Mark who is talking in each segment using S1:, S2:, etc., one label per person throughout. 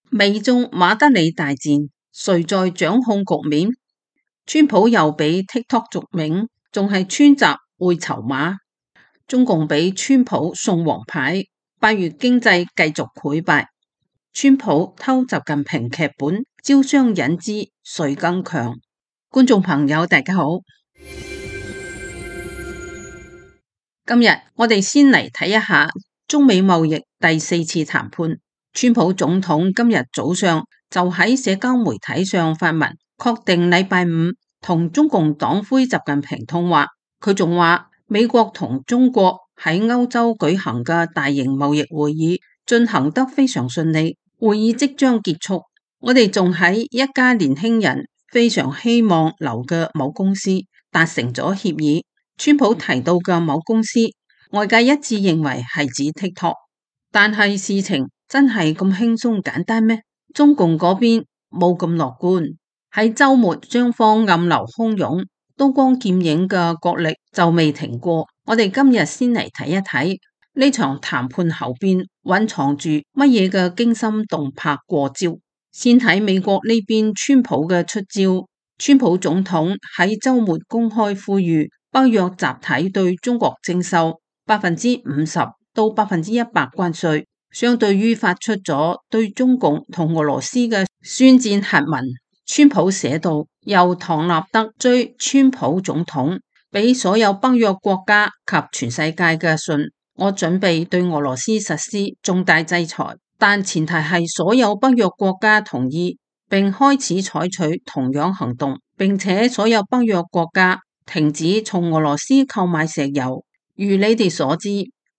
S1: 美中馬德里大戰，誰在掌控局面？川普又俾 TikTok 續命，仲係川習會籌碼。中共俾川普送黃牌，8月經濟繼續潰敗。川普偷習近平劇本，招商引資，誰更強？觀眾朋友大家好，今日我哋先嚟睇一下中美貿易第4次談判。川普總統今日早上就喺社交媒體上發文，確定禮拜五同中共黨魁習近平通話。佢仲話美國同中國喺歐洲舉行嘅大型貿易會議進行得非常順利，會議即將結束。我哋仲喺一家年輕人非常希望留嘅某公司達成咗協議。川普提到嘅某公司，外界一致認為係指 TikTok， 但係事情真係咁輕鬆簡單咩？中共嗰邊冇咁樂觀。喺周末雙方暗流洶湧、刀光劍影嘅角力就未停過。我哋今日先嚟睇一睇呢場談判後邊蘊藏住乜嘢嘅驚心動魄過招。先睇美國呢邊川普嘅出招。川普總統喺周末公開呼籲北約集體對中國徵收50%到100%關稅，相對於發出咗對中共同俄羅斯嘅宣戰核文。川普寫道，由唐納德追川普總統俾所有北約國家及全世界嘅信，我準備對俄羅斯實施重大制裁，但前提係所有北約國家同意並開始採取同樣行動，並且所有北約國家停止從俄羅斯購買石油。如你哋所知，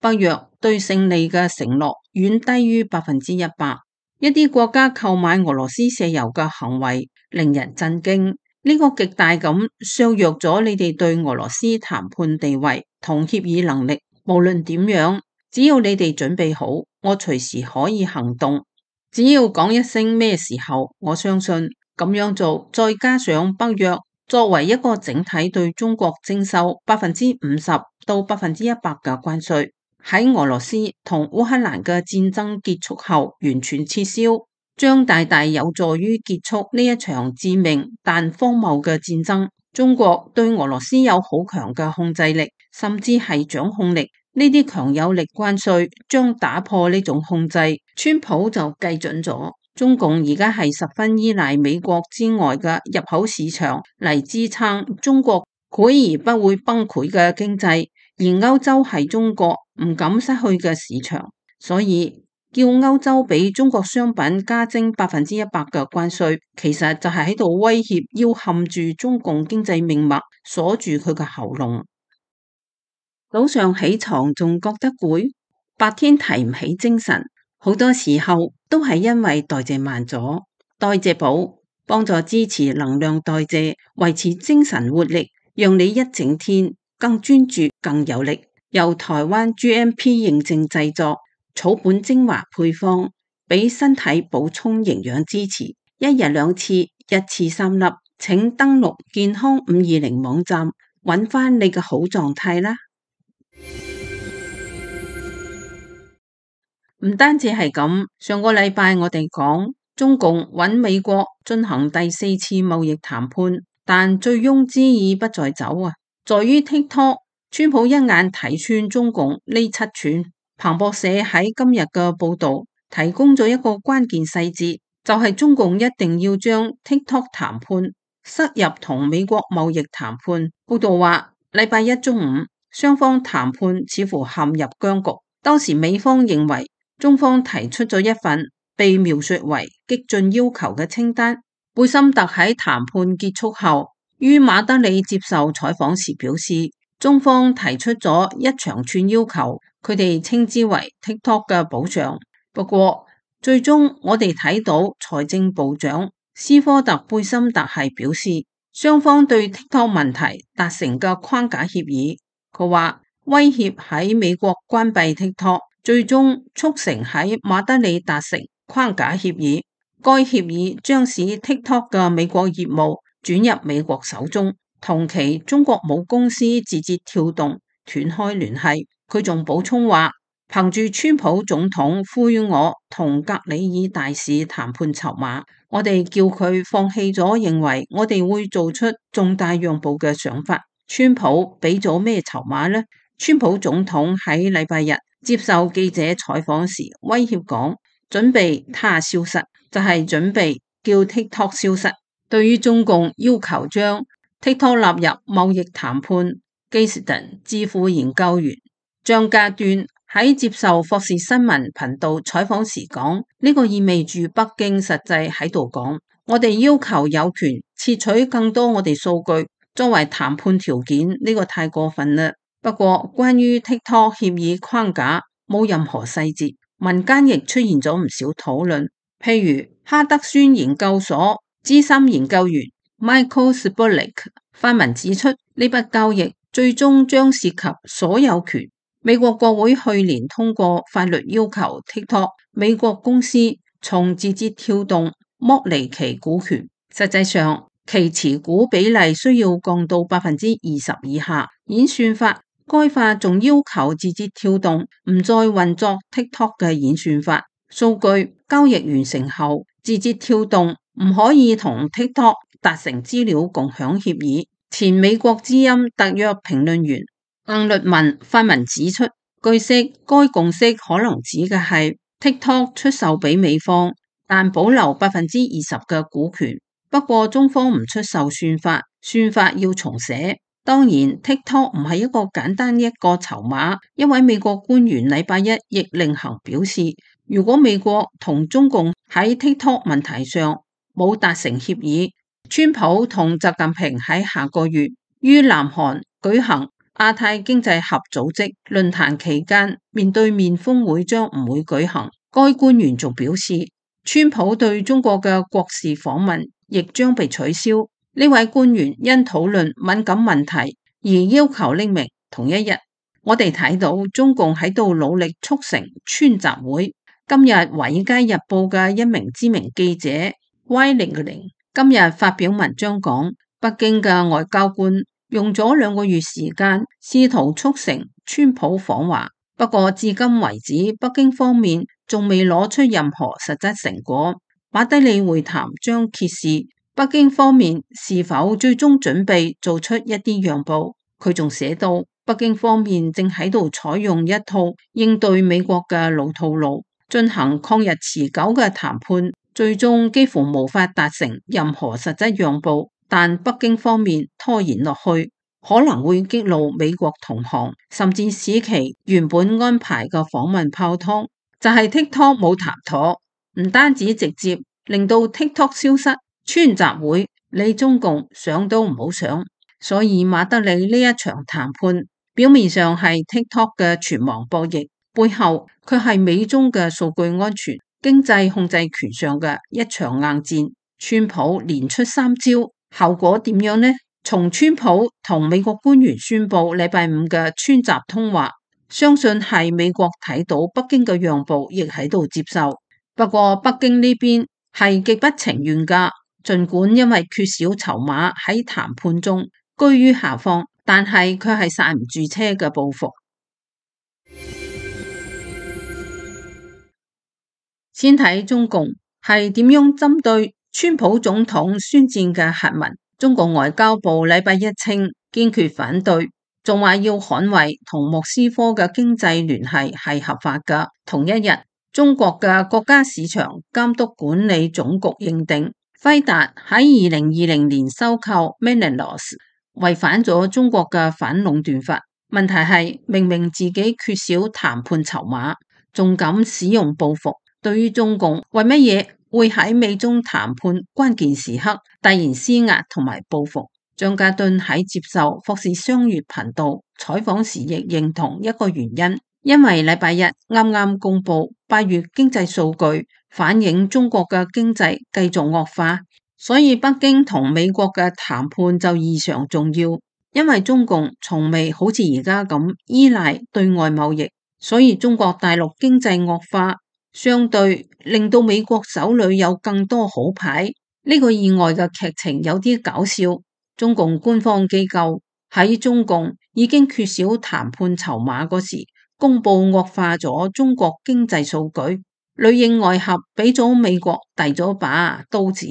S1: 北約對勝利嘅承諾遠低於100%。一啲國家購買俄羅斯石油嘅行為令人震驚，呢個極大咁削弱咗你哋對俄羅斯談判地位同協議能力。無論點樣，只要你哋準備好，我隨時可以行動。只要講一聲咩時候，我相信咁樣做，再加上北約作為一個整體對中國徵收50%到100%嘅關稅，喺俄羅斯同烏克蘭嘅戰爭結束後完全撤銷，將大大有助於結束呢一場致命但荒謬嘅戰爭。中國對俄羅斯有好強嘅控制力，甚至係掌控力。呢啲強有力關稅將打破呢種控制。川普就計準咗，中共而家係十分依賴美國之外嘅入口市場嚟支撐中國潰而不會崩潰嘅經濟，而歐洲係中國唔敢失去嘅市場，所以叫歐洲俾中國商品加徵100%嘅關稅，其實就係喺度威脅要冚住中共經濟命脈，鎖住佢嘅喉嚨。早上起床仲覺得攰，白天提唔起精神，好多時候都係因為代謝慢咗。代謝寶幫助支持能量代謝，維持精神活力，讓你一整天更專注更有力。由台灣 GMP 認證製作，草本精華配方，俾身體補充營養支持。一日2次，一次3粒。請登錄健康520網站，揾翻你嘅好狀態啦。唔單止係咁，上個禮拜我哋講中共揾美國進行第4次貿易談判，但醉翁之意不在酒啊，在於 TikTok。川普一眼睇穿中共呢7寸。彭博社喺今日嘅報道提供咗一個關鍵細節，就係中共一定要將 TikTok 談判塞入同美國貿易談判。報道話，禮拜一中午雙方談判似乎陷入僵局。當時美方認為中方提出咗一份被描述為激進要求嘅清單。貝森特喺談判結束後於馬德里接受採訪時表示，中方提出咗一長串要求，佢哋稱之為 TikTok 嘅保障。不過最終我哋睇到財政部長斯科特貝森特係表示，雙方對 TikTok 問題達成嘅框架協議。佢話威脅喺美國關閉 TikTok，最終促成喺馬德里達成框架協議。該協議將使 TikTok 嘅美國業務轉入美國手中，同期中國母公司字節跳動斷開聯繫。佢仲補充話，憑住川普總統賦予我同格里爾大使談判籌碼，我哋叫佢放棄咗認為我哋會做出重大讓步嘅想法。川普俾咗咩籌碼呢？川普總統喺禮拜日接受記者採訪時威脅講，準備他消失，就係準備叫 TikTok 消失。對於中共要求將 TikTok 納入貿易談判，基士頓智庫研究員張家端喺接受霍士新聞頻道採訪時講，呢個意味住北京實際喺度講，我哋要求有權竊取更多我哋數據作為談判條件，呢個太過分啦。不過關於 TikTok 協議框架冇任何細節，民間亦出現咗唔少討論，譬如哈德遜研究所資深研究員 Michael Spulik 發文指出，呢筆交易最終將涉及所有權。美國國會去年通過法律要求 TikTok 美國公司從字節跳動剝離其股權，實際上其持股比例需要降到20%以下。演算法該法仲要求字節跳動唔再運作 TikTok 嘅演算法。數據交易完成後，字節跳動唔可以同 TikTok 達成資料共享協議。前美國之音特約評論員鄧律文發文指出，據悉該共識可能指嘅係 TikTok 出售俾美方，但保留20%嘅股權。不過中方唔出售算法，算法要重寫。當然 TikTok 唔係一個簡單一個籌碼。一位美國官員禮拜一亦另行表示，如果美國同中共喺 TikTok 問題上冇達成協議，川普同習近平喺下個月於南韓舉行亞太經濟合組織論壇期間面對面峰會將唔會舉行。該官員仲表示，川普對中國嘅國事訪問亦將被取消。呢位官員因討論敏感問題而要求匿名。同一日，我哋睇到中共喺度努力促成川習會。今日《華爾街日報》嘅一名知名記者 Y00今日發表文章講，北京嘅外交官用咗2個月時間試圖促成川普訪華，不過至今為止，北京方面仲未攞出任何實質成果。馬德里會談將揭示北京方面是否最終準備做出一啲讓步。佢仲寫到，北京方面正喺度採用一套應對美國嘅老套路，進行曠日持久嘅談判，最終幾乎無法達成任何實質讓步。但北京方面拖延落去，可能會激怒美國同行，甚至使其原本安排嘅訪問泡湯。就係 TikTok 冇談妥，唔單止直接令到 TikTok 消失，川習會你中共想都唔好想。所以馬德里呢一場談判表面上係 TikTok 嘅存亡博弈，背後卻係美中嘅數據安全、經濟控制權上嘅一場硬戰。川普連出3招，後果點樣呢？從川普同美國官員宣布禮拜5嘅川習通話，相信係美國睇到北京嘅讓步，亦喺度接受。不過北京呢邊係極不情願噶，儘管因為缺少籌碼喺談判中居於下風，但係佢係剎唔住車嘅報復。先睇中共係點樣針對川普總統宣戰嘅核文。中國外交部禮拜一稱堅決反對，仲話要捍衛同莫斯科嘅經濟聯繫係合法㗎。同一日，中國嘅國家市場監督管理總局認定輝達喺2020年收購 Menelaos 違反咗中國嘅反壟斷法。問題係明明自己缺少談判籌碼，仲敢使用報復。對於中共為乜嘢會喺美中談判關鍵時刻突然施壓同埋報復，張家敦喺接受霍士商業頻道採訪時亦認同一個原因，因為禮拜日啱啱公布8月經濟數據，反映中國嘅經濟繼續惡化，所以北京同美國嘅談判就異常重要。因為中共從未好似而家咁依賴對外貿易，所以中國大陸經濟惡化相對令到美國手裏有更多好牌。呢個意外嘅劇情有啲搞笑。中共官方機構喺中共已經缺少談判籌碼嗰時，公布惡化咗中國經濟數據，裏應外合俾咗美國遞咗把刀子。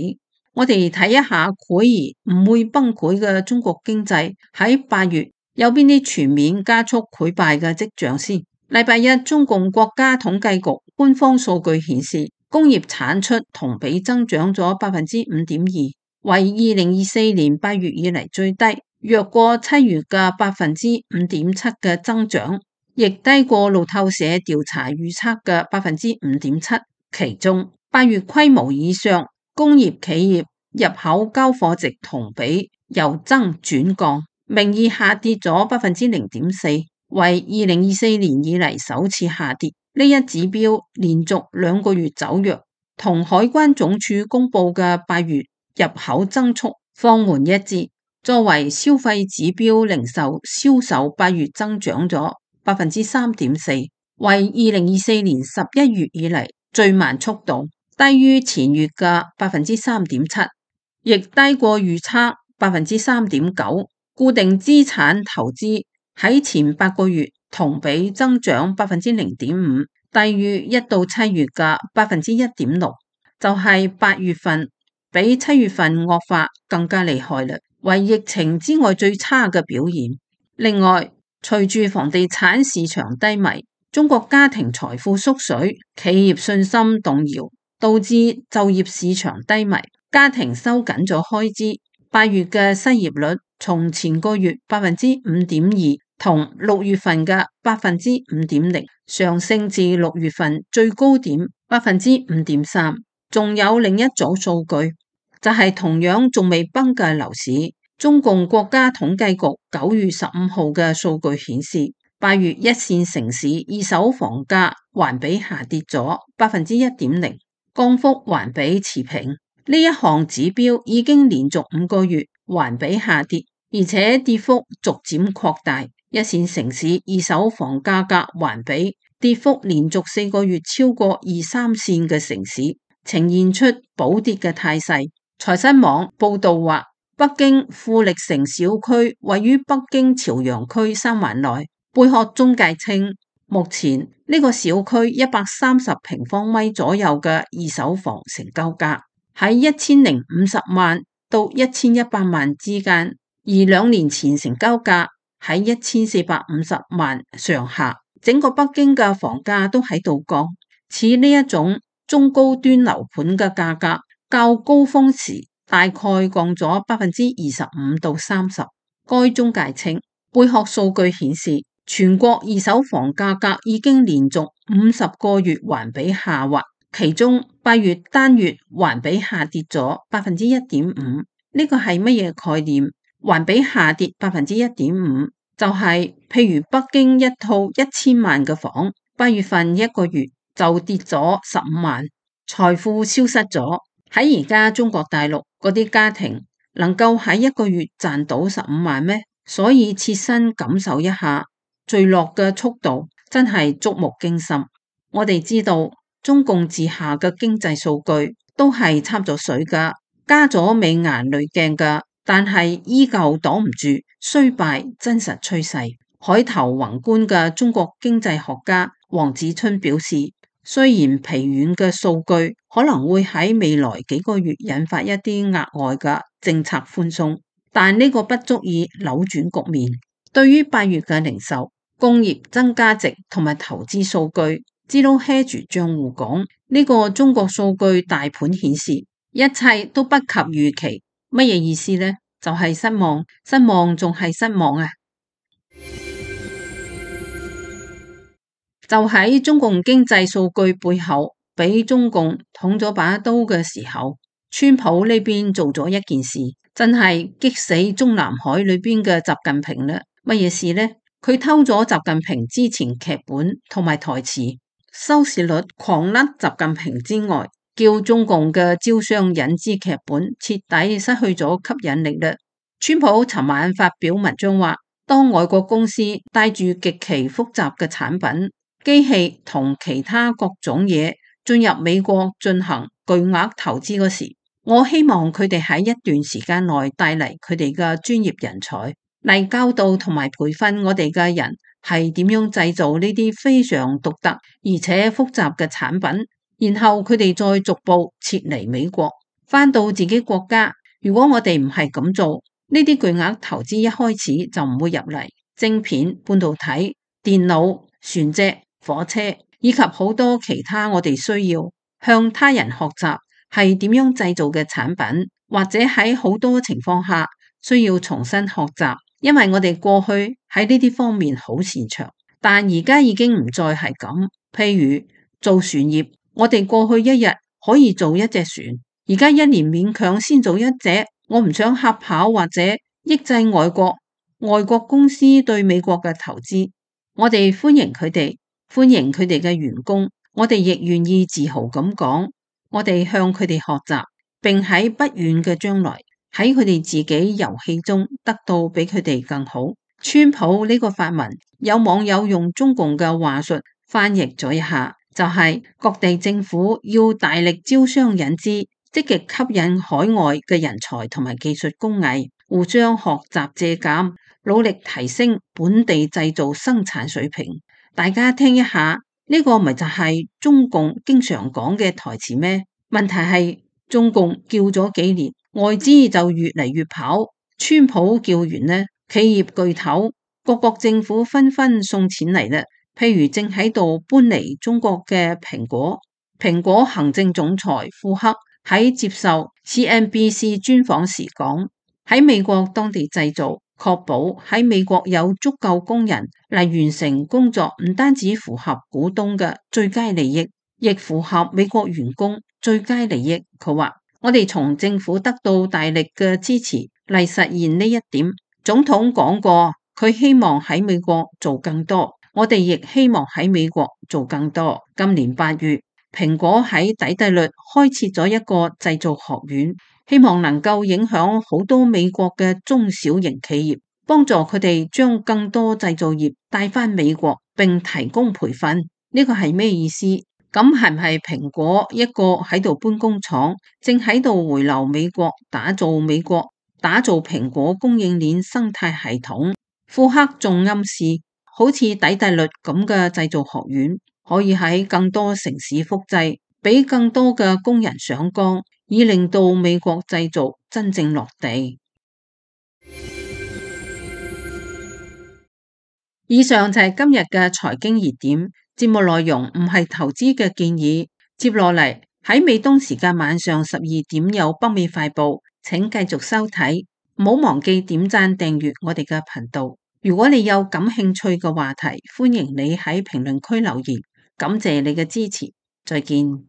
S1: 我哋睇一下潰而唔會崩潰嘅中國經濟喺8月有邊啲全面加速潰敗嘅跡象先。禮拜一，中共國家統計局官方數據顯示，工業產出同比增長咗5.2%，為2024年8月以嚟最低，弱過7月嘅5.7%嘅增長，亦低過路透社調查預測嘅5.7%。其中8月規模以上工業企業入口交貨值同比由增轉降，名義下跌咗0.4%，為2024年以嚟首次下跌。呢一指標連續2個月走弱，同海關總署公布嘅8月入口增速放緩一致。作為消費指標，零售銷售8月增長咗3.4%，為2024年11月以嚟最慢速度，低於前月嘅3.7%，亦低過預測3.9%。固定資產投資喺前8個月同比增長0.5%，低於1到7月嘅1.6%，就係8月份比7月份惡化更加厲害啦，為疫情之外最差嘅表現。另外，隨住房地產市場低迷，中國家庭財富縮水，企業信心動搖，導致就業市場低迷，家庭收緊咗開支。8月嘅失業率從前個月5.2%同6月份嘅5.0%上升至6月份最高點5.3%。仲有另一組數據，就係同樣仲未崩嘅樓市。中共國家統計局9月15號嘅數據顯示，8月一線城市二手房價環比下跌咗1.0%，降幅環比持平。呢一項指標已經連續5個月環比下跌，而且跌幅逐漸擴大。一線城市二手房價格環比跌幅連續4個月超過2、3線嘅城市，呈現出補跌嘅態勢。財新網報道話，北京富力城小區位於北京朝陽區三環內。貝殼中介稱，目前呢個小區130平方米左右嘅二手房成交價喺1050萬到1100萬之間，而2年前成交價喺1450萬上下。整個北京嘅房價都喺度降，似呢一種中高端樓盤嘅價格較高峰時大概降咗25%到30%。該中介稱，貝殼數據顯示，全國二手房價格已經連續50個月環比下滑，其中8月單月環比下跌咗1.5%。呢個係乜嘢概念？環比下跌1.5%，就係譬如北京一套1000萬嘅房，8月份1個月就跌咗15萬，財富消失咗。喺而家中國大陸嗰啲家庭能夠喺1個月賺到15萬咩？所以切身感受一下墜落嘅速度，真係觸目驚心。我哋知道中共治下嘅經濟數據都係插咗水噶，加咗美顏濾鏡噶，但係依舊擋唔住衰敗真實趨勢。海頭宏觀嘅中國經濟學家黃子春表示，雖然疲軟嘅數據可能會喺未來幾個月引發一啲額外嘅政策寬鬆，但呢個不足以扭轉局面。對於8月嘅零售、工業增加值同埋投資數據，Zero Hedge賬戶講，呢個中國數據大盤顯示一切都不及預期。乜嘢意思呢？就係失望，失望仲係失望啊！就喺中共經濟數據背後俾中共捅咗把刀嘅時候，川普呢邊做咗一件事，真係激死中南海裏邊嘅習近平啦！乜嘢事呢？佢偷咗習近平之前劇本同埋台詞，收視率狂甩習近平之外，叫中共嘅招商引資劇本徹底失去咗吸引力啦。川普尋晚發表文章話，當外國公司帶住極其複雜嘅產品、機器同其他各種嘢進入美國進行巨額投資嗰時，我希望佢哋喺一段時間內帶嚟佢哋嘅專業人才嚟教導同埋培訓我哋嘅人係點樣製造呢啲非常獨特而且複雜嘅產品，然後佢哋再逐步撤離美國，返到自己國家。如果我哋唔係咁做，呢啲巨額投資一開始就唔會入嚟。晶片、半導體、電腦、船隻、火車以及好多其他我哋需要向他人學習係點樣製造嘅產品，或者喺好多情況下需要重新學習，因為我哋過去喺呢啲方面好擅長，但而家已經唔再係咁。譬如做船業，我哋過去一日可以做一隻船，而家一年勉強先做一隻。我唔想嚇跑或者抑制外國公司對美國嘅投資。我哋歡迎佢哋，歡迎佢哋嘅員工。我哋亦願意自豪咁講，我哋向佢哋學習，並喺不遠嘅將來喺佢哋自己遊戲中得到比佢哋更好。川普呢個發文，有網友用中共嘅話術翻譯咗一下，就係各地政府要大力招商引資，積極吸引海外嘅人才同埋技術工藝，互相學習借鑒，努力提升本地製造生產水平。大家聽一下，呢個咪就係中共經常講嘅台詞咩？問題係中共叫咗幾年，外資就越嚟越跑。川普叫完呢，企業巨頭、各國政府紛紛送錢嚟啦。譬如正喺度搬嚟中國嘅蘋果行政總裁庫克喺接受 CNBC 專訪時講，喺美國當地製造，確保喺美國有足夠工人嚟完成工作，唔單止符合股東嘅最佳利益，亦符合美國員工最佳利益。佢話：我哋從政府得到大力嘅支持嚟實現呢一點。總統講過，佢希望喺美國做更多，我哋亦希望喺美國做更多。今年8月，蘋果喺底特律開設咗一個製造學院，希望能夠影響好多美國嘅中小型企業，幫助佢哋將更多製造業帶返美國，並提供培訓。呢個係咩意思？咁係唔係蘋果一個喺度搬工廠，正喺度回流美國，打造蘋果供應鏈生態系統？庫克仲暗示，好似底特律咁嘅製造學院，可以喺更多城市複製，俾更多嘅工人上崗，以令到美國製造真正落地。以上就係今日嘅財經熱點。節目內容唔係投資嘅建議。接落嚟喺美東時間晚上12點有北美快報，請繼續收睇。唔好忘記點讚訂閱我哋嘅頻道。如果你有感興趣嘅話題，歡迎你喺評論區留言。感謝你嘅支持，再見。